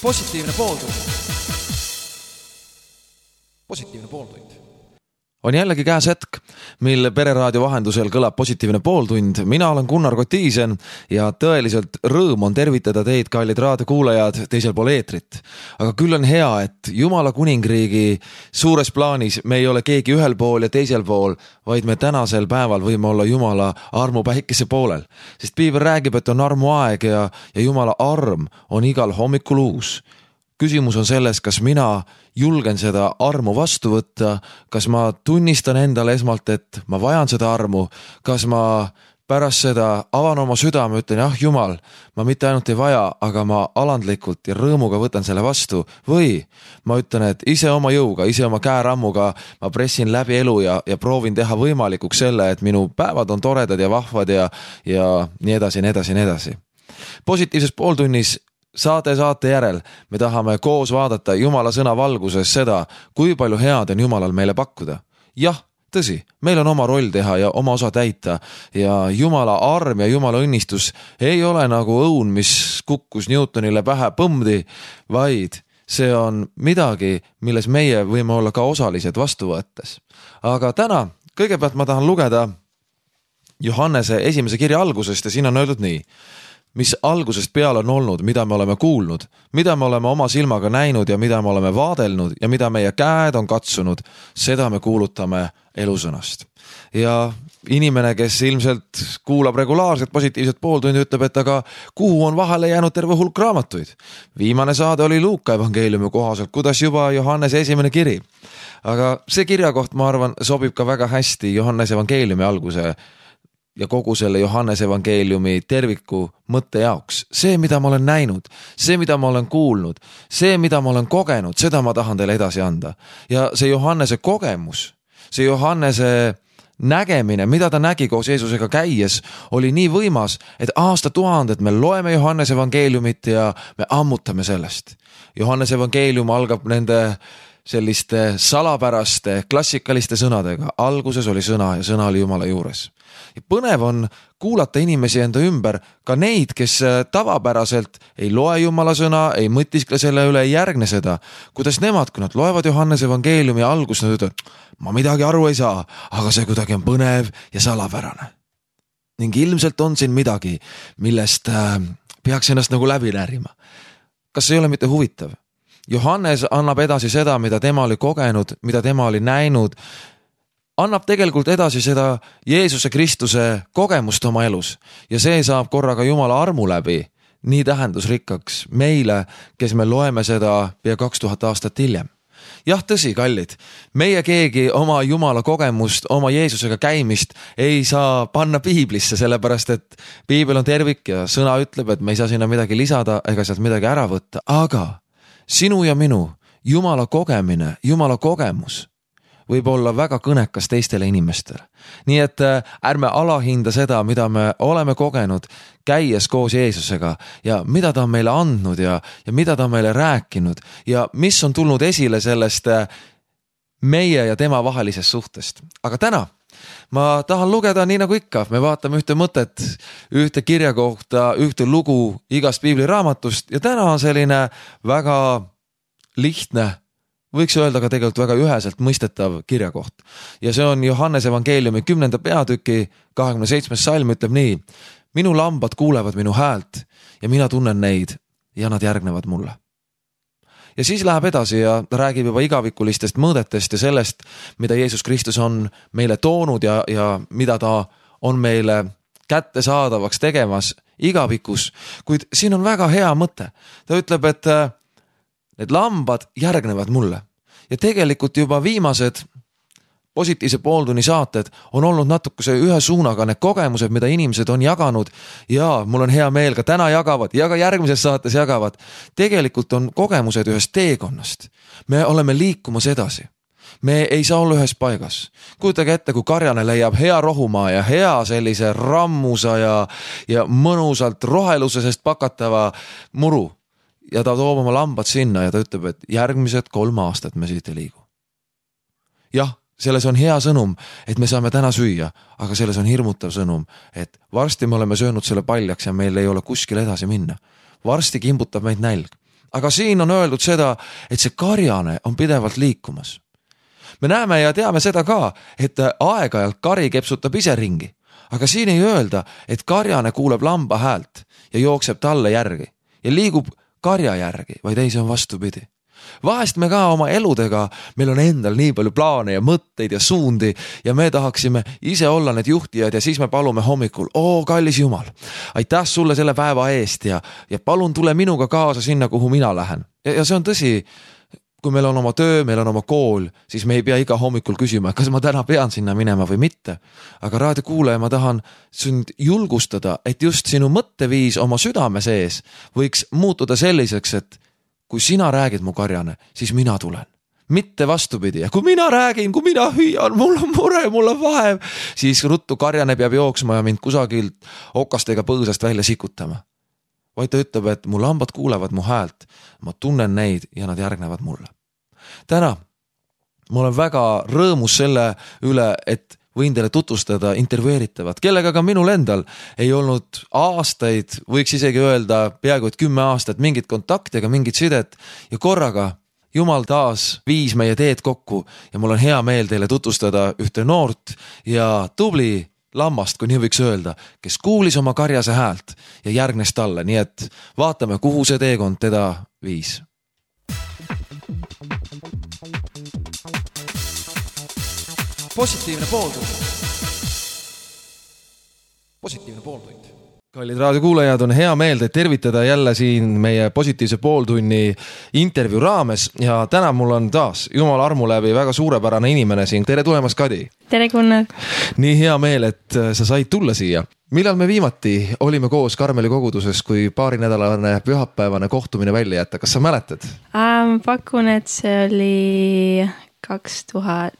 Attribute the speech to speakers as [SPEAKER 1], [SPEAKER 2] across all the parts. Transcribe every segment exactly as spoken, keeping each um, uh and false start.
[SPEAKER 1] Positiivne pooltund. Positiivne pooltund.
[SPEAKER 2] On jällegi käes hetk, mil Pereraadio vahendusel kõlab positiivne pooltund. Mina olen Gunnar Kotiisen ja tõeliselt rõõm on tervitada teid, kallid raadiokuulajad, teisel pool eetrit. Aga küll on hea, et Jumala kuningriigi suures plaanis me ei ole keegi ühel pool ja teisel pool, vaid me tänasel päeval võime olla Jumala armu päikese poolel. Sest piibel räägib, et on armu aeg ja, ja Jumala arm on igal hommikul uus. Küsimus on selles, kas mina julgen seda armu vastu võtta, kas ma tunnistan endale esmalt, et ma vajan seda armu, kas ma pärast seda avan oma südame, ütlen, jah Jumal, ma mitte ainult ei vaja, aga ma alandlikult ja rõõmuga võtan selle vastu, või ma ütlen, et ise oma jõuga, ise oma käerammuga ma pressin läbi elu ja, ja proovin teha võimalikuks selle, et minu päevad on toredad ja vahvad ja, ja nii edasi, nii edasi, nii edasi. Positiivses pooltunnis saate saate järel me tahame koos vaadata Jumala sõna valguses seda, kui palju head on Jumalal meile pakkuda. Jah, tõsi, meil on oma roll teha ja oma osa täita ja Jumala arm ja Jumala õnnistus ei ole nagu õun, mis kukkus Newtonile pähe põmdi, vaid see on midagi, milles meie võime olla ka osalised vastu võttes. Aga täna kõigepealt ma tahan lugeda Johannese esimese kirja algusest ja siin on öeldud nii. Mis algusest peale on olnud, mida me oleme kuulnud, mida me oleme oma silmaga näinud ja mida me oleme vaadelnud ja mida meie käed on katsunud, seda me kuulutame elusõnast. Ja inimene, kes ilmselt kuulab regulaarselt positiivset pooltundi, ütleb, et aga kuhu on vahele jäänud terve hulk raamatuid. Viimane saade oli Luuka evangeeliumi kohaselt, kuidas juba Johannese esimene kiri. Aga see kirjakoht, ma arvan, sobib ka väga hästi Johannese evangeeliumi alguse ja kogu selle Johannese evangeeliumi terviku mõtte jaoks. See, mida ma olen näinud, see, mida ma olen kuulnud, see, mida ma olen kogenud, seda ma tahan teile edasi anda. Ja see Johannese kogemus, see Johannese nägemine, mida ta nägi koos Jeesusega käies, oli nii võimas, et aasta tuhanded me loeme Johannese evangeeliumit ja me ammutame sellest. Johannese evangeelium algab nende selliste salapäraste, klassikaliste sõnadega. Alguses oli sõna ja sõna oli Jumala juures. Ja põnev on kuulata inimesi enda ümber, ka neid, kes tavapäraselt ei loe Jumala sõna, ei mõtiskle selle üle, ei järgne seda. Kuidas nemad, kui nad loevad Johannese evangeeliumi algus, nad ütlevad, ma midagi aru ei saa, aga see kuidagi on põnev ja salapärane. Ning ilmselt on siin midagi, millest peaks ennast nagu läbi närima. Kas see ei ole mitte huvitav? Johannes annab edasi seda, mida tema oli kogenud, mida tema oli näinud, annab tegelikult edasi seda Jeesuse Kristuse kogemust oma elus ja see saab korraga Jumala armu läbi nii tähendusrikkaks meile, kes me loeme seda pea kaks tuhat aastat hiljem. Jah, tõsi, kallid, meie keegi oma Jumala kogemust, oma Jeesusega käimist ei saa panna piiblisse, sellepärast et piibel on tervik ja sõna ütleb, et me ei saa sinna midagi lisada ega sealt midagi ära võtta, aga sinu ja minu Jumala kogemine, Jumala kogemus võib olla väga kõnekas teistele inimestele. Nii et ärme alahinda seda, mida me oleme kogenud käies koos Jeesusega ja mida ta on meile andnud ja, ja mida ta on meile rääkinud ja mis on tulnud esile sellest meie ja tema vahelisest suhtest. Aga täna ma tahan lugeda nii nagu ikka, me vaatame ühte mõtet, ühte kirja kohta, ühte lugu igast piibliraamatust ja täna on selline väga lihtne, võiks öelda ka tegelikult väga üheselt mõistetav kirjakoht. Ja see on Johannese evangeeliumi kümnenda peatüki kahekümne seitsmes salm ütleb nii, minu lambad kuulevad minu häält ja mina tunnen neid ja nad järgnevad mulle. Ja siis läheb edasi ja ta räägib juba igavikulistest mõõdetest ja sellest, mida Jeesus Kristus on meile toonud ja, ja mida ta on meile kättesaadavaks tegemas igavikus. Kuid siin on väga hea mõte. Ta ütleb, et need lambad järgnevad mulle. Ja tegelikult juba viimased positiivse pooltunni saated on olnud natukese ühe suunaga need kogemused, mida inimesed on jaganud ja mul on hea meel ka täna jagavad ja ka järgmises saates jagavad. Tegelikult on kogemused ühest teekonnast. Me oleme liikumas edasi. Me ei saa olla ühes paigas. Kujutage ette, kui karjane leiab hea rohumaa ja hea sellise rammusa ja, ja mõnusalt rohelusest pakatava muru. Ja ta toob oma lambad sinna ja ta ütleb, et järgmised kolm aastat me siit ei liigu. Jah, selles on hea sõnum, et me saame täna süüa, aga selles on hirmutav sõnum, et varsti me oleme söönud selle paljaks ja meil ei ole kuskil edasi minna. Varsti kimbutab meid nälg. aga siin on öeldud seda, et see karjane on pidevalt liikumas. Me näeme ja teame seda ka, et aeg-ajalt kari kepsutab ise ringi, aga siin ei öelda, et karjane kuuleb lamba häält ja jookseb talle järgi ja liigub karja järgi, vaid ei, see on vastupidi. Vahest me ka oma eludega, meil on endal nii palju plaane ja mõtteid ja suundi ja me tahaksime ise olla need juhtijad ja siis me palume hommikul, oo kallis Jumal, aitäh sulle selle päeva eest ja, ja palun tule minuga kaasa sinna, kuhu mina lähen. Ja, ja see on tõsi, kui meil on oma töö, meil on oma kool, siis me ei pea iga hommikul küsima, kas ma täna pean sinna minema või mitte. Aga raadiokuulaja, ma tahan sind julgustada, et just sinu mõtteviis oma südame sees võiks muutuda selliseks, et kui sina räägid mu karjane, siis mina tulen. Mitte vastupidi. Ja kui mina räägin, kui mina hüüan, mul on mure, mul on vaev, siis ruttu karjane peab jooksma ja mind kusagilt okastega põõsast välja sikutama. Vaid ta ütleb, et mu lambad kuulevad mu häält, ma tunnen neid ja nad järgnevad mulle. Täna ma olen väga rõõmus selle üle, et võin teile tutvustada intervjueeritavat, kellega ka minul endal ei olnud aastaid, võiks isegi öelda peaaegu et kümme aastat mingit kontakti ega mingit sidet ja korraga Jumal taas viis meie teed kokku ja mul on hea meel teile tutvustada ühte noort ja tubli lammast, kui nii võiks öelda, kes kuulis oma karjase häält ja järgnes talle, nii et vaatame, kuhu see teekond teda viis.
[SPEAKER 1] Positiivne pooltund. Positiivne pooltund.
[SPEAKER 2] Kallid raadiokuulajad, on hea meel teid tervitada jälle siin meie positiivse pooltunni intervjuu raames ja täna mul on taas Jumal armu läbi väga suurepärane inimene siin. Tere tulemast, Kadi!
[SPEAKER 3] Tere, Gunnar!
[SPEAKER 2] Nii hea meel, et sa said tulla siia. Millal me viimati olime koos Karmeli koguduses, kui paari nädalane pühapäevane kohtumine välja jätta? Kas sa mäletad?
[SPEAKER 3] Ähm, pakun, et see oli kaks tuhat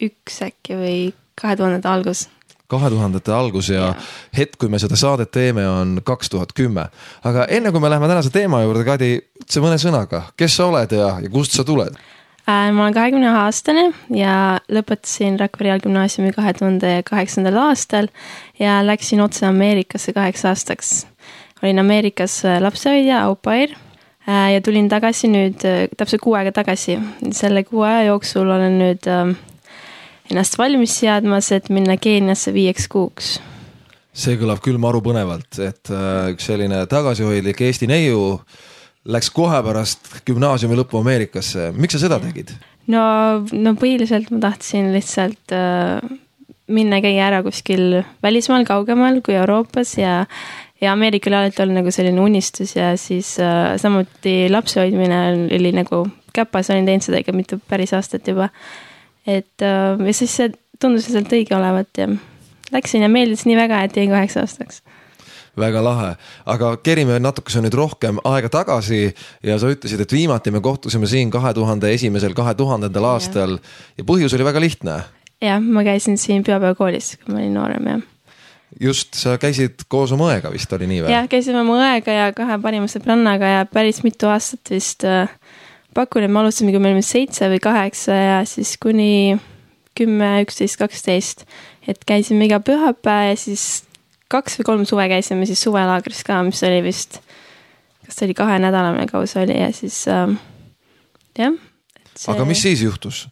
[SPEAKER 3] üks äkki või kahe tuhandete algus.
[SPEAKER 2] kahe tuhandete algus ja, ja hetk, kui me seda saadet teeme, on kaks tuhat kümme. Aga enne kui me läheme tänase teema juurde, Kadi, ütse mõne sõnaga, kes sa oled ja, ja kust sa tuled?
[SPEAKER 3] Äh, ma olen kahekümne aastane ja lõpetasin Rakvere gümnaasiumi kahe tuhande kaheksandal aastal ja läksin otse Ameerikasse kaheks aastaks. Olin Ameerikas lapsehoidja, au pair ja tulin tagasi nüüd täpselt kuu aega tagasi. Selle kuu aja jooksul olen nüüd ennast valmis seadmas, et minna Keeniasse viieks kuuks.
[SPEAKER 2] See kõlab küll maru põnevalt, et üks selline tagasihoidlik Eesti neiu läks kohe pärast gümnaasiumi lõppu Ameerikasse. Miks sa seda tegid?
[SPEAKER 3] No, no põhiliselt ma tahtsin lihtsalt äh, minna käia ära kuskil välismaal kaugemal kui Euroopas ja, ja Ameerikal alati oli nagu selline unistus ja siis äh, samuti lapsehoidmine oli nagu käpas, olin teinud seda ikka mitu päris aastat juba. Et äh, ja siis see tundus sealt õige olevat ja läksin ja meeldis nii väga, et jäin kaheks aastaks.
[SPEAKER 2] Väga lahe, aga kerime natukese nüüd rohkem aega tagasi ja sa ütlesid, et viimati me kohtusime siin kahe tuhande esimesel, kahe tuhandendal aastal ja põhjus oli väga lihtne.
[SPEAKER 3] Jah, ma käisin siin pühapäevakoolis, kui ma olin noorem, jah.
[SPEAKER 2] Just, sa käisid koos oma õega vist, oli nii või?
[SPEAKER 3] Jah, käisime oma õega ja kahe parima sõbrannaga ja päris mitu aastat vist äh, pakun, et me alustasime, kui me olime seitse või kaheksa ja siis kuni kümme, üksteist, kaksteist. Et käisime iga pühapäev ja siis kaks või kolm suve käisime siis suvelaagris ka, mis oli vist, kas see oli kahe nädalane kaus oli ja siis äh, jah. See...
[SPEAKER 2] Aga mis siis juhtus?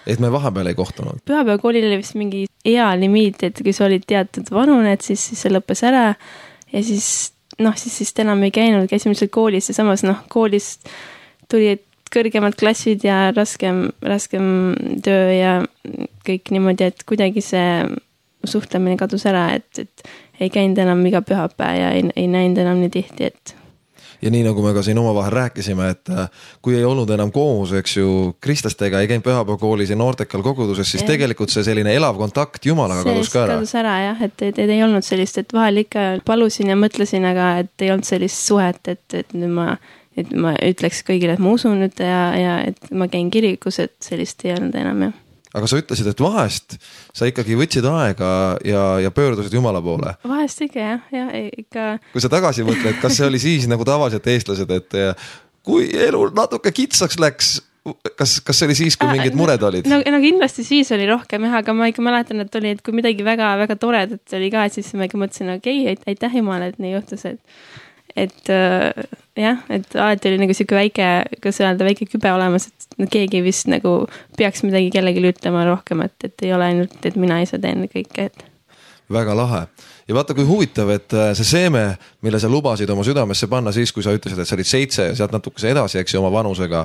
[SPEAKER 2] Et me vahepeal ei kohtunud?
[SPEAKER 3] Pühapäevakoolil oli vist mingi hea limiit, et kui sa olid teatud vanune, et siis, siis see lõppes ära ja siis noh, siis, siis enam ei käinud, käisime lihtsalt koolis ja samas noh, koolis tuli kõrgemad klassid ja raskem, raskem töö ja kõik niimoodi, et kuidagi see suhtlemine kadus ära, et, et ei käinud enam iga pühapäev ja ei, ei näinud enam nii tihti, et
[SPEAKER 2] ja nii nagu me ka siin omavahel rääkisime, et kui ei olnud enam koos, eks ju, kristlastega ei käinud pühapäevakoolis ja noortekal koguduses, siis ja. Tegelikult see selline elav kontakt Jumalaga see kadus ka ära.
[SPEAKER 3] kadus ära jah, et, et, et ei olnud sellist, et vahel ikka palusin ja mõtlesin, aga et ei olnud sellist suhet, et, et nüüd ma et ma ütleks kõigile, et ma usun nüüd ja, ja et ma käin kirikus, et sellist ei olnud enam, jah.
[SPEAKER 2] Aga sa ütlesid, et vahest sa ikkagi võtsid aega ja, ja pöördusid Jumala poole.
[SPEAKER 3] Vahest ikka, jah, jah, ikka.
[SPEAKER 2] Kui sa tagasi mõtled, kas see oli siis nagu tavaliselt eestlased, et kui elu natuke kitsaks läks, kas, kas see oli siis, kui mingid mured olid?
[SPEAKER 3] No, no kindlasti siis oli rohkem, jah, aga ma ikka mäletan, et oli, et kui midagi väga, väga toredat oli ka, et siis ma ikka mõtlesin, okei, okay, aitäh Jumala, et nii juhtus, et et äh, jah, et alati oli nagu siuke väike, kas öelda, väike kübe olemas, et keegi vist nagu peaks midagi kellelegi ütlema rohkem, et, et ei ole ainult, et mina ise teen kõike, et
[SPEAKER 2] väga lahe. Ja vaata, kui huvitav, et see seeme, mille sa lubasid oma südamesse panna siis, kui sa ütlesid, et sa olid seitse ja sealt natukese edasi, eks ju, oma vanusega,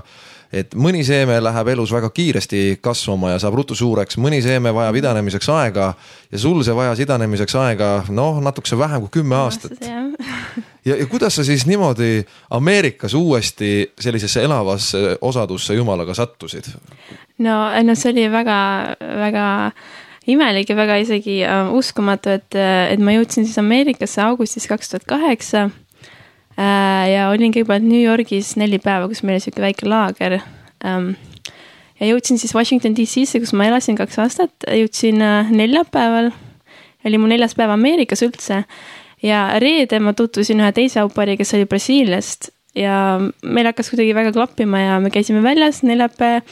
[SPEAKER 2] et mõni seeme läheb elus väga kiiresti kasvama ja saab rutu suureks, mõni seeme vajab idanemiseks aega ja sul see vajas idanemiseks aega, noh, natukese vähem kui kümme aastat. Ja, ja kuidas sa siis niimoodi Ameerikas uuesti sellisesse elavasse osadusse jumalaga sattusid?
[SPEAKER 3] No, no see oli väga, väga imelik ja väga isegi uh, uskumatu, et, et ma jõudsin siis Ameerikasse augustis kaks tuhat kaheksa uh, ja olin kõigepealt New Yorgis neli päeva, kus meil oli siuke väike laager um, ja jõudsin siis Washington D C-sse, kus ma elasin kaks aastat, jõudsin uh, neljapäeval, oli mu neljas päev Ameerikas üldse ja reede ma tutvusin ühe teise aupari, kes oli Brasiiliast ja meil hakkas kuidagi väga klappima ja me käisime väljas neljapäev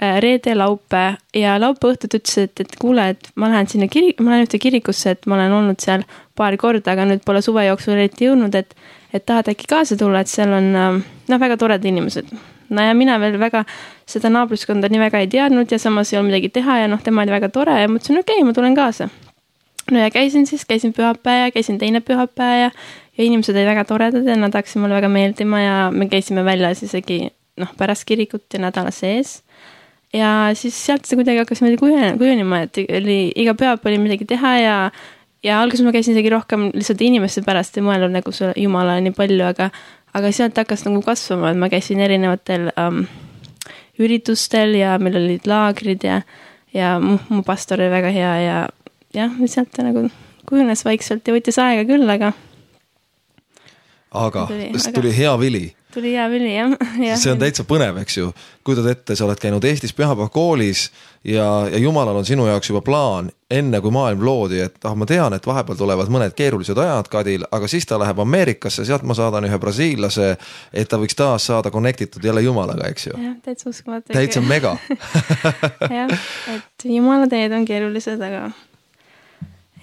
[SPEAKER 3] reede laupe ja laupe õhtut ütles, et, et kuule, et ma lähen sinna kirik, ma lähen ühte kirikusse, et ma olen olnud seal paar korda, aga nüüd pole suve jooksul eriti jõudnud, et, et tahad äkki kaasa tulla, et seal on noh, väga toredad inimesed. No ja mina veel väga seda naabruskonda nii väga ei teadnud ja samas ei olnud midagi teha ja noh, tema oli väga tore ja mõtlesin, okei, okay, ma tulen kaasa. No ja käisin siis, käisin pühapäev ja käisin teine pühapäev ja, ja inimesed olid väga toredad ja nad hakkasid mulle väga meeldima ja me käisime väljas isegi noh, pärast kirikut ja nädala sees. Ja siis sealt see kuidagi hakkas meelde kujunima, et oli, iga pühap oli midagi teha ja, ja alguses ma käisin isegi rohkem lihtsalt inimeste pärast ja mõelnud nagu Jumala nii palju, aga, aga sealt hakkas nagu kasvama, et ma käisin erinevatel um, üritustel ja meil olid laagrid ja, ja mu, mu pastor oli väga hea ja jah, sealt ta nagu kujunes vaikselt ja võttis aega küll, aga
[SPEAKER 2] aga tuli, tuli hea vili.
[SPEAKER 3] Tuli hea vili, jah. Ja.
[SPEAKER 2] See on täitsa põnev, eks ju. Kujutad ette, sa oled käinud Eestis pühapäeva koolis ja, ja Jumalal on sinu jaoks juba plaan enne, kui maailm loodi, et ah, ma tean, et vahepeal tulevad mõned keerulised ajad Kadil, aga siis ta läheb Ameerikasse, sealt ma saadan ühe brasiillase, et ta võiks taas saada connectitud jälle Jumalaga, eks ju.
[SPEAKER 3] Jah, täitsa uskumatu.
[SPEAKER 2] Täitsa mega.
[SPEAKER 3] jah, et Jumala teed on keerulised, aga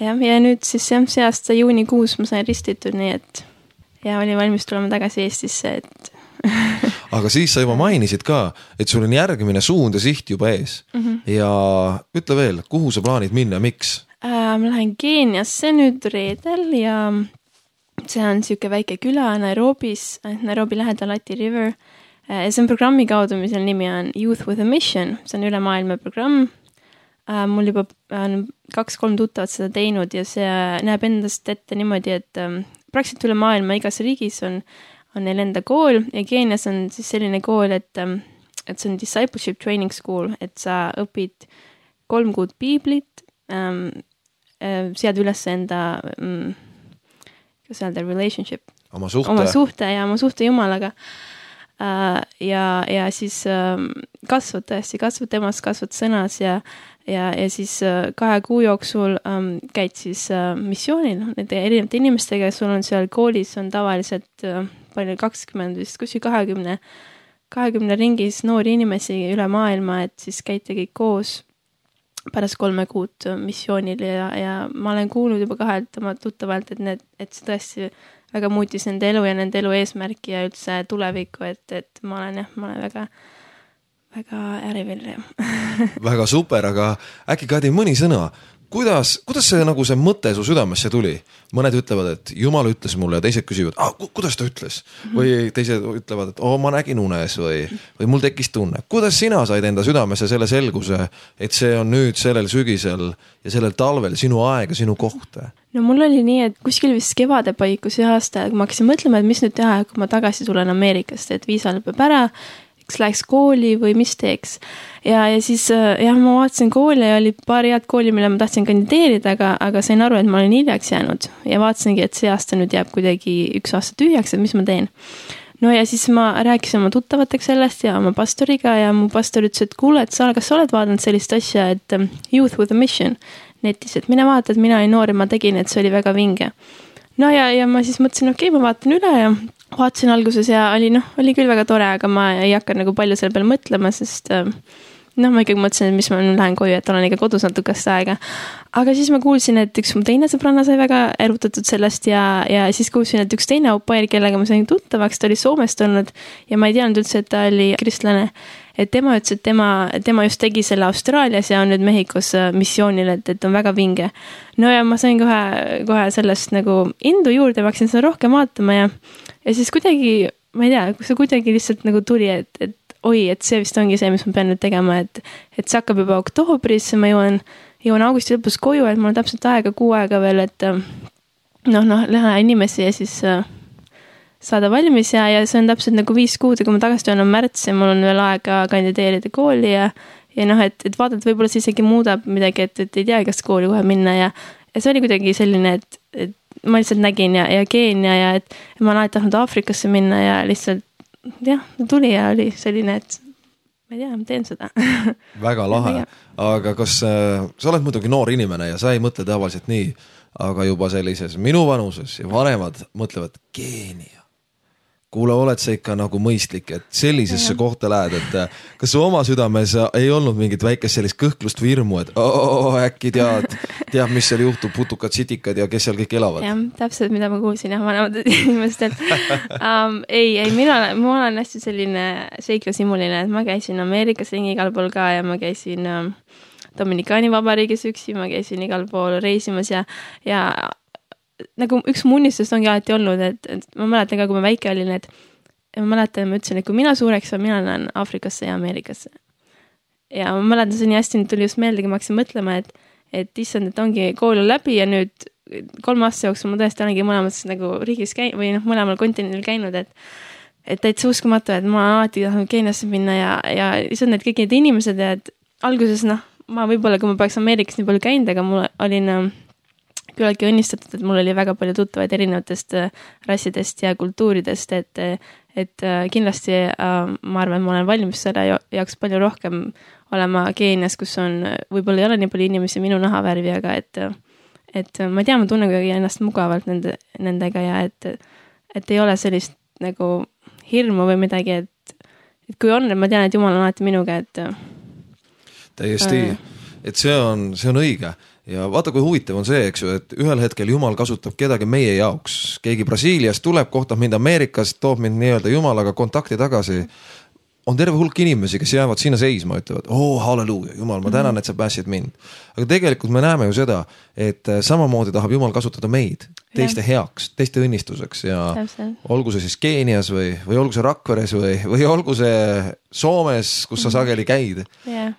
[SPEAKER 3] jah, ja nüüd siis jah, see aasta juunikuus ma sain ristitud, nii et ja oli valmis tulema tagasi Eestisse, et
[SPEAKER 2] aga siis sa juba mainisid ka, et sul on järgmine suund ja siht juba ees. Mm-hmm. Ja ütle veel, kuhu sa plaanid minna, miks?
[SPEAKER 3] Äh, ma lähen Keeniasse nüüd reedel ja see on siuke väike küla Nairobis, Nairobi lähedal Lati River. Äh, see on programmi kaudu, mis on nimi on Youth with a Mission, see on üle maailma programm. Äh, mul juba on kaks-kolm tuttavat seda teinud ja see näeb endast ette niimoodi, et ähm, praktiliselt üle maailma igas riigis on, on neil enda kool ja Keenias on siis selline kool, et, et see on discipleship training school, et sa õpid kolm kuud piiblit, ähm, sead üles enda ähm, kas öelda, relationship.
[SPEAKER 2] Oma suhte.
[SPEAKER 3] Oma suhte ja oma suhte Jumalaga. Äh, ja, ja siis ähm, kasvad tõesti, kasvad temas, kasvad sõnas ja Ja, ja siis kahe kuu jooksul ähm, käid siis äh, missioonil nende erinevate inimestega, sul on seal koolis on tavaliselt äh, palju kakskümmend vist, kuskil kahekümne, kahekümne ringis noori inimesi üle maailma, et siis käite kõik koos pärast kolme kuud missioonil ja, ja ma olen kuulnud juba kahelt oma tuttavalt, et, need, et see tõesti väga muutis nende elu ja nende elu eesmärki ja üldse tulevikku, et, et ma olen jah, ma olen väga väga ärivil.
[SPEAKER 2] Väga super, aga äkki Kadi mõni sõna, kuidas, kuidas see, nagu see mõte su südamesse tuli? Mõned ütlevad, et Jumal ütles mulle ja teised küsivad, ah, kuidas ta ütles? Või teised ütlevad, et oh, ma nägin unes või, või mul tekkis tunne. Kuidas sina said enda südamesse selle selguse, et see on nüüd sellel sügisel ja sellel talvel sinu aeg ja sinu koht?
[SPEAKER 3] No mul oli nii, et kuskil vist kevade paikus ühe aasta, kui ma hakkasin mõtlema, et mis nüüd teha, kui ma tagasi tulen Ameerikast, et viisa lõpeb ära, läks kooli või mis teeks. Ja, ja siis jah, ma vaatasin kooli ja oli paar head kooli, mille ma tahtsin kandideerida, aga, aga sain aru, et ma olen hiljaks jäänud. Ja vaatasingi, et see aasta nüüd jääb kuidagi üks aasta tühjaks, et mis ma teen. No ja siis ma rääkisin oma tuttavateks sellest ja oma pastoriga ja mu pastor ütles, et kuule, et sa, kas sa oled vaadanud sellist asja, et Youth with a Mission netis, et mine vaata, et mina olin noor ja ma tegin, et see oli väga vinge. No ja, ja ma siis mõtlesin, okei, okay, ma vaatan üle ja vaatasin alguses ja oli, noh, oli küll väga tore, aga ma ei hakka nagu palju selle peale mõtlema, sest noh, ma ikkagi mõtlesin, et mis ma nüüd lähen koju, et olen ikka kodus natukest aega. Aga siis ma kuulsin, et üks mu teine sõbranna sai väga erutatud sellest ja, ja siis kuulsin, et üks teine au pair, kellega ma sain tuttavaks, ta oli Soomest olnud ja ma ei teadnud üldse, et ta oli kristlane. Et tema ütles, et tema, tema just tegi selle Austraalias ja on nüüd Mehhikos missioonil, et, et on väga vinge. No ja ma sain kohe, kohe sellest nagu indu juurde, ma hakkasin seda rohkem vaatama ja, ja siis kuidagi, ma ei tea, see kuidagi lihtsalt nagu tuli, et, et oi, et see vist ongi see, mis ma pean nüüd tegema, et, et see hakkab juba oktoobris, ma jõuan, jõuan augusti lõpus koju, et mul on täpselt aega, kuu aega veel, et noh, noh, lähe inimesi ja siis äh, saada valmis ja, ja see on täpselt nagu viis kuud ja kui ma tagasi tulen on märts ja mul on veel aega kandideerida kooli ja, ja noh, et, et vaadata, võib-olla see isegi muudab midagi, et, et ei tea, kas kooli kohe minna ja, ja see oli kuidagi selline, et, et ma lihtsalt nägin ja, ja Keenia ja et ma olen alati tahtnud Aafrikasse minna ja lihtsalt jah, tuli ja oli selline, et ma ei tea, ma teen seda.
[SPEAKER 2] Väga lahe, aga kas äh, sa oled muidugi noor inimene ja sa ei mõtle tavaliselt nii, aga juba sellises minu vanuses ja vanemad mõtlevad Keenia. Kuule, oled sa ikka nagu mõistlik, et sellisesse ja. kohta lähed, et kas su oma südames ei olnud mingit väikest sellist kõhklust või hirmu, et oh, äkki tead, tead, mis seal juhtub, putukad, sitikad ja kes seal kõik elavad?
[SPEAKER 3] Jah, täpselt, mida ma kuulsin jah, vanemad inimestelt. um, ei, ei, mina olen, ma olen hästi selline seiklusimuline, et ma käisin Ameerikas ringi igal pool ka ja ma käisin um, Dominikaani vabariigis üksi, ma käisin igal pool reisimas ja, ja nagu üks mu unistust ongi alati olnud, et, et ma mäletan ka, kui ma väike olin, et ma mäletan, ma ütlesin, et kui mina suureks on, mina lähen Aafrikasse ja Ameerikasse. Ja ma mäletan, see nii hästi tuli just meelde, kui ma hakkasin mõtlema, et, et issand, et ongi kool on läbi ja nüüd kolme aasta jooksul ma tõesti olengi mõlemas nagu riigis käin, või noh, mõlemal kontinendil käinud, et et täitsa uskumatu, et ma alati tahan Keeniasse minna ja, ja issand, et kõik need inimesed, et alguses noh, ma võib-olla, kui ma peaks Ameerikas nii palju käinud, aga mul olin küllaltki õnnistatud, et mul oli väga palju tuttavaid erinevatest rassidest ja kultuuridest, et, et kindlasti ma arvan, ma olen valmis selle jaoks palju rohkem olema Keenias, kus on, võib-olla ei ole nii palju inimesi minu nahavärvi, aga et, et ma tean, ma tunnen kuidagi ennast mugavalt nende, nendega ja et, et ei ole sellist nagu hirmu või midagi, et, et kui on, et ma tean, et Jumal on alati minuga, et
[SPEAKER 2] täiesti, et see on, see on õige. Ja vaata, kui huvitav on see, eks ju, et ühel hetkel Jumal kasutab kedagi meie jaoks. Keegi Brasiiliast tuleb, kohtab mind Ameerikas, toob mind nii-öelda Jumalaga kontakti tagasi. On terve hulk inimesi, kes jäävad sinna seisma, ütlevad, oh, halleluuja, Jumal, ma tänan, et sa pääsid mind. Aga tegelikult me näeme ju seda, et samamoodi tahab Jumal kasutada meid teiste heaks, teiste õnnistuseks ja Täpselt. Olgu see siis Keenias või, või olgu see Rakveres või, või olgu see Soomes, kus sa sageli käid.
[SPEAKER 3] Yeah.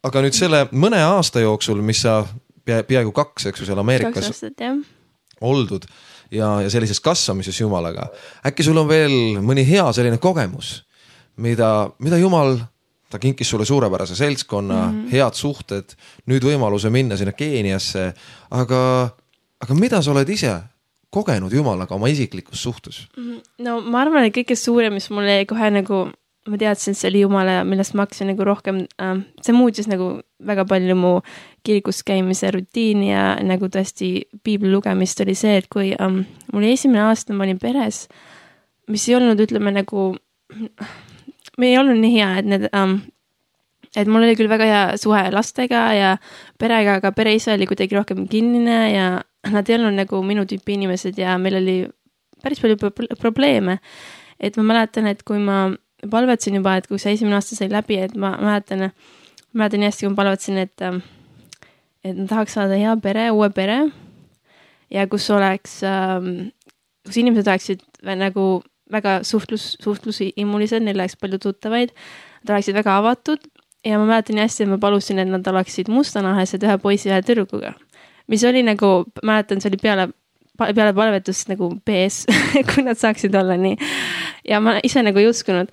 [SPEAKER 2] Aga nüüd selle mõne aasta jooksul, mis sa pea, peaaegu kaks, eks ju, seal Ameerikas
[SPEAKER 3] aastat,
[SPEAKER 2] oldud ja, ja sellises kasvamises Jumalaga, äkki sul on veel mõni hea selline kogemus, mida, mida Jumal, ta kinkis sulle suurepärase seltskonna, mm -hmm. head suhted, nüüd võimaluse minna sinna Keeniasse, aga, aga mida sa oled ise kogenud Jumalaga oma isiklikus suhtes?
[SPEAKER 3] No ma arvan, et kõige suurem, mis mulle jäi kohe nagu ma teadsin, see oli Jumala, millest ma hakkasin nagu rohkem, äh, see muutis nagu väga palju mu kirikus käimise rutiini ja nagu tõesti piibli lugemist oli see, et kui ähm, mul esimene aasta ma olin peres, mis ei olnud, ütleme nagu, me ei olnud nii hea, et need, ähm, et mul oli küll väga hea suhe lastega ja perega, aga pereisa oli kuidagi rohkem kinnine ja nad ei olnud nagu minu tüüpi inimesed ja meil oli päris palju probleeme. Et ma mäletan, et kui ma palvetsin juba, et kui see esimene aasta sai läbi, et ma mäletan, mäletan nii hästi, kui ma palvetsin, et, et ma tahaks saada hea pere, uue pere ja kus oleks, kus inimesed oleksid nagu väga suhtlus, suhtlusimulised, neil oleks palju tuttavaid, nad oleksid väga avatud ja ma mäletan nii hästi, et ma palusin, et nad oleksid mustanahesed ühe poisi ja tüdrukuga, mis oli nagu, mäletan, see oli peale peale palvetust nagu B S, kui nad saaksid olla nii. Ja ma ise nagu ei uskunud.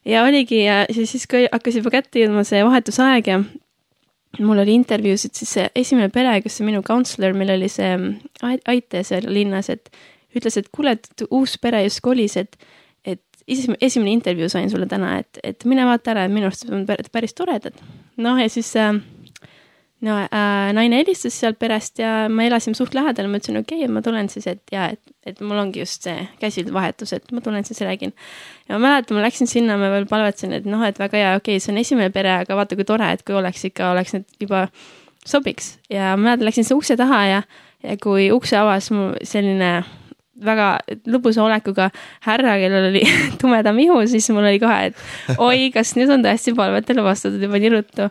[SPEAKER 3] Ja oligi, ja siis kui hakkas juba kätte jõudma see vahetusaeg ja mul oli intervjuusid, siis see esimene pere, kes see minu counselor, meil oli see aite seal linnas, et ütles, et kuule, et uus pere just kolis, et, et esimene intervjuu sain sulle täna, et, et mine vaata ära, et minu arust on päris toredad. Noh, ja siis äh, no äh, naine helistas sealt perest ja ma elasin suht lähedal, ma ütlesin, okei okay,, ma tulen siis, et ja, et, et mul ongi just see käsivahetus, et ma tulen siis räägin. Ja ma mäletan, ma läksin sinna, ma veel palvetsin, et noh, et väga hea, okei okay,, see on esimene pere, aga vaata, kui tore, et kui oleks ikka, oleks need juba sobiks. Ja ma mäletan, läksin see ukse taha ja, ja kui ukse avas mu selline väga lõbusa olekuga härra, kellel oli tumedam ihu, siis mul oli kohe, et oi, kas nüüd on tõesti palvetele vastatud juba nii ruttu.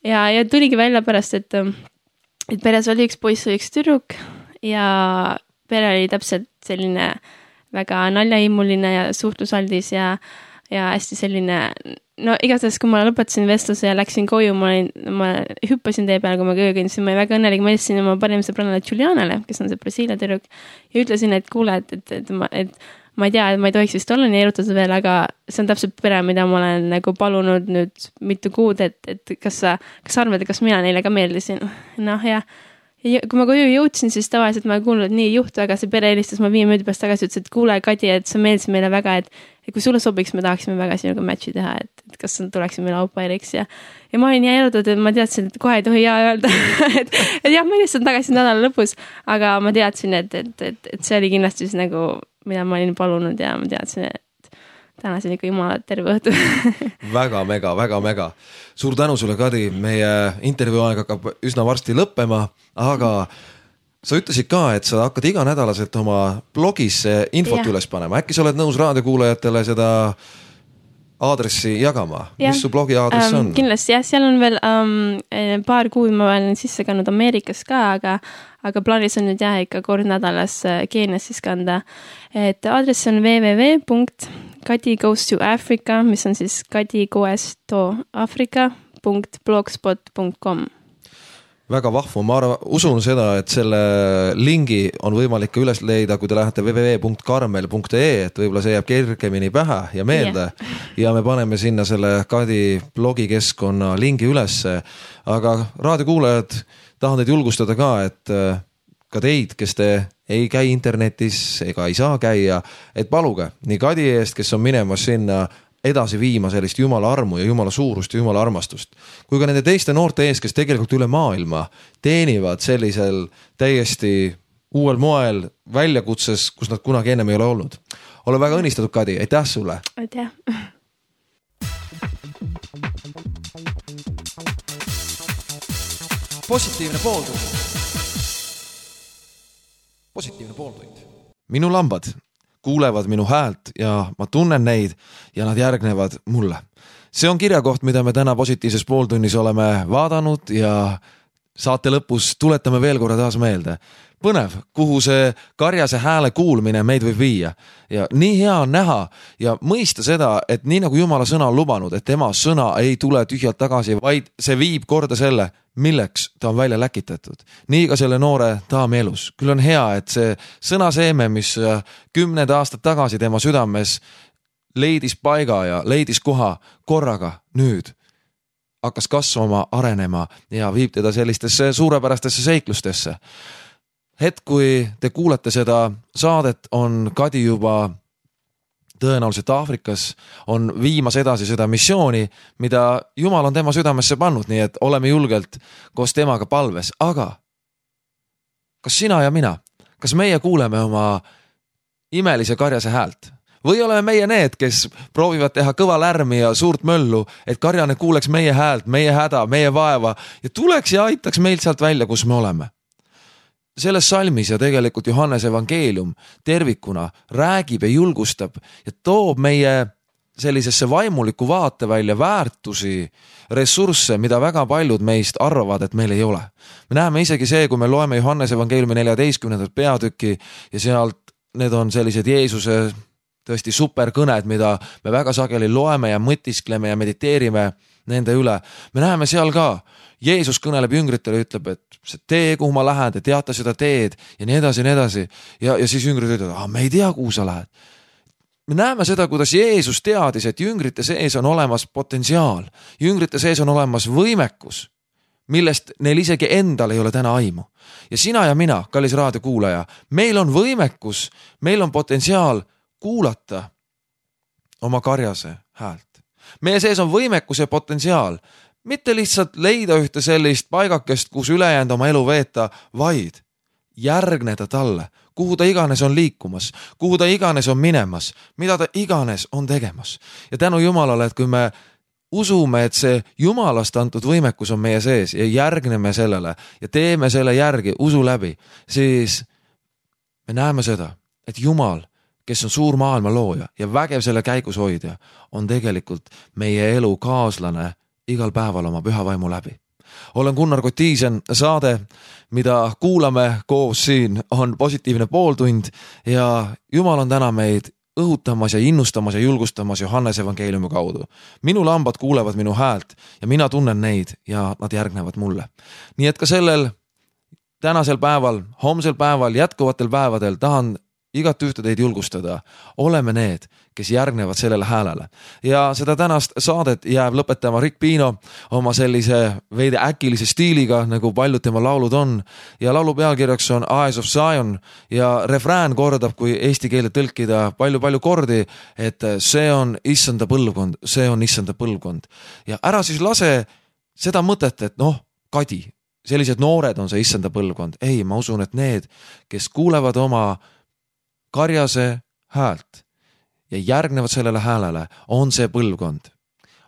[SPEAKER 3] Ja, ja tuligi välja pärast, et, et peres oli üks poiss või üks tüdruk ja pere oli täpselt selline väga naljahimuline ja suhtlusaldis ja, ja hästi selline, no igatahes, kui ma lõpetasin vestluse ja läksin koju, ma, olin, ma hüppasin tee peale, kui ma köö kõndisin, ma olin väga õnnelik, ma helistasin oma parim sõbrannale Julianale, kes on see Brasiilia tüdruk ja ütlesin, et kuule, et, et, et, ma, et ma ei tea, et ma ei tohiks vist olla nii erutatud veel, aga see on täpselt pere, mida ma olen nagu palunud nüüd mitu kuud, et, et kas sa, kas sa arvad, et kas mina neile ka meeldisin? Noh, ja, ja kui ma koju jõudsin, siis tavaliselt ma kuulnud, et nii juht väga, see pere helistas, ma viie minuti pärast tagasi ütles, et kuule, Kadi, et sa meeldisid meile väga, et, et kui sulle sobiks, me tahaksime väga sinuga matchi teha, et, et kas tuleksid meile aupairiks ja, ja ma olin nii erutud, et ma teadsin, et kohe ei tohi jaa öelda, et, et jah, ma helistan tagasi nädala lõpus, aga ma teadsin, et, et, et, et see oli kindlasti siis nagu mida ma olin palunud ja ma teadsin, et tänasin ikka jumala terve õhtu.
[SPEAKER 2] väga mega, väga mega. Suur tänu sulle, Kadi. Meie intervjuu aeg hakkab üsna varsti lõppema, aga sa ütlesid ka, et sa hakkad iganädalaselt oma blogis infot ja. Üles panema. Äkki sa oled nõus raadiokuulajatele seda aadressi jagama? Ja. Mis su blogi aadress um, on?
[SPEAKER 3] Kindlasti, jah, seal on veel um, paar kuud ma olen sisse kandnud Ameerikas ka, aga aga plaanis on nüüd jah ikka kord nädalas Keenias siis kanda. Et aadress on double-u double-u double-u punkt kadi goes to africa, mis on siis kadi goes to africa punkt blogspot punkt com.
[SPEAKER 2] Väga vahvu, ma arvan, usun seda, et selle lingi on võimalik ka üles leida, kui te lähete double-u double-u double-u punkt karmel punkt e e, et võib-olla see jääb kergemini pähe ja meelde yeah. ja me paneme sinna selle Kadi blogikeskkonna lingi ülesse, aga raadiokuulajad tahan teid julgustada ka, et ka teid, kes te ei käi internetis ega ei saa käia, et paluge nii Kadi eest, kes on minemas sinna edasi viima sellist jumala armu ja jumala suurust ja jumala armastust, kui ka nende teiste noorte ees, kes tegelikult üle maailma teenivad sellisel täiesti uuel moel väljakutses, kus nad kunagi ennem ei ole olnud. Ole väga õnnistatud, Kadi, aitäh sulle!
[SPEAKER 3] Aitäh!
[SPEAKER 1] Positiivne pooltund. Positiivne pooltund.
[SPEAKER 2] Minu lambad kuulevad minu häält ja ma tunnen neid ja nad järgnevad mulle. See on kirjakoht, mida me täna positiivses pooltunnis oleme vaadanud ja saate lõpus tuletame veel korra taas meelde. Põnev, kuhu see karjase hääle kuulmine meid võib viia. Ja nii hea on näha ja mõista seda, et nii nagu Jumala sõna on lubanud, et tema sõna ei tule tühjalt tagasi, vaid see viib korda selle, milleks ta on välja läkitatud. Nii ka selle noore daami elus. Küll on hea, et see sõnaseeme, mis kümned aastad tagasi tema südames leidis paiga ja leidis koha korraga nüüd, hakkas kasvama, arenema ja viib teda sellistesse suurepärastesse seiklustesse. Hetk, kui te kuulete seda saadet, on Kadi juba tõenäoliselt Aafrikas, on viimas edasi seda missiooni, mida Jumal on tema südamesse pannud, nii et oleme julgelt koos temaga palves. Aga kas sina ja mina, kas meie kuuleme oma imelise karjase häält? Või oleme meie need, kes proovivad teha kõva lärmi ja suurt möllu, et karjane kuuleks meie häält, meie häda, meie vaeva ja tuleks ja aitaks meilt sealt välja, kus me oleme? Selles salmis ja tegelikult Johannes evangeelium tervikuna räägib ja julgustab ja toob meie sellisesse vaimuliku vaate välja väärtusi, ressursse, mida väga paljud meist arvavad, et meil ei ole. Me näeme isegi see, kui me loeme Johannes evangeeliumi neljateistkümnendat peatükki ja sealt need on sellised Jeesuse tõesti superkõned, mida me väga sageli loeme ja mõtiskleme ja mediteerime nende üle. Me näeme seal ka, Jeesus kõneleb jüngritele ja ütleb, et see tee, kuhu ma lähen, te teate seda teed ja nii edasi ja nii edasi. Ja, ja siis jüngrid ütlevad, ah, me ei tea, kuhu sa lähed. Me näeme seda, kuidas Jeesus teadis, et jüngrite sees on olemas potentsiaal. Jüngrite sees on olemas võimekus, millest neil isegi endal ei ole täna aimu. Ja sina ja mina, kallis raadiokuulaja, meil on võimekus, meil on potentsiaal kuulata oma karjase häält. Meie sees on võimekus ja potentsiaal. mitte lihtsalt leida ühte sellist paigakest, kus ülejäänud oma elu veeta, vaid järgneda talle, kuhu ta iganes on liikumas, kuhu ta iganes on minemas, mida ta iganes on tegemas. Ja tänu Jumalale, et kui me usume, et see Jumalast antud võimekus on meie sees ja järgneme sellele ja teeme selle järgi usu läbi, siis me näeme seda, et Jumal, kes on suur maailma looja ja vägev selle käigus hoidja, on tegelikult meie elu kaaslane igal päeval oma püha vaimu läbi. Olen Gunnar Kotiisen, saade, mida kuulame koos siin, on positiivne pooltund ja Jumal on täna meid õhutamas ja innustamas ja julgustamas Johannese evangeeliumi kaudu. Minu lambad kuulevad minu häält ja mina tunnen neid ja nad järgnevad mulle. Nii et ka sellel tänasel päeval, homsel päeval, jätkuvatel päevadel tahan igat ühte teid julgustada. Oleme need, kes järgnevad sellele häälele. Ja seda tänast saadet jääb lõpetama Rick Pino oma sellise veidi äkilise stiiliga, nagu paljud tema laulud on. Ja laulu pealkirjaks on Eyes of Zion ja refrään kordab, kui eesti keele tõlkida palju-palju kordi, et see on issanda põlvkond, see on issanda põlvkond. Ja ära siis lase seda mõtet, et noh, kadi, sellised noored on see issanda põlvkond. Ei, ma usun, et need, kes kuulevad oma karjase häält ja järgnevad sellele häälele, on see põlvkond.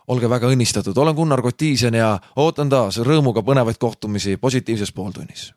[SPEAKER 2] Olge väga õnnistatud, olen Gunnar Kotiisen ja ootan taas rõõmuga põnevaid kohtumisi positiivses pooltunnis.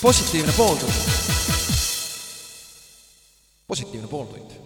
[SPEAKER 1] Positiivne pooltund. positiivne pooltund.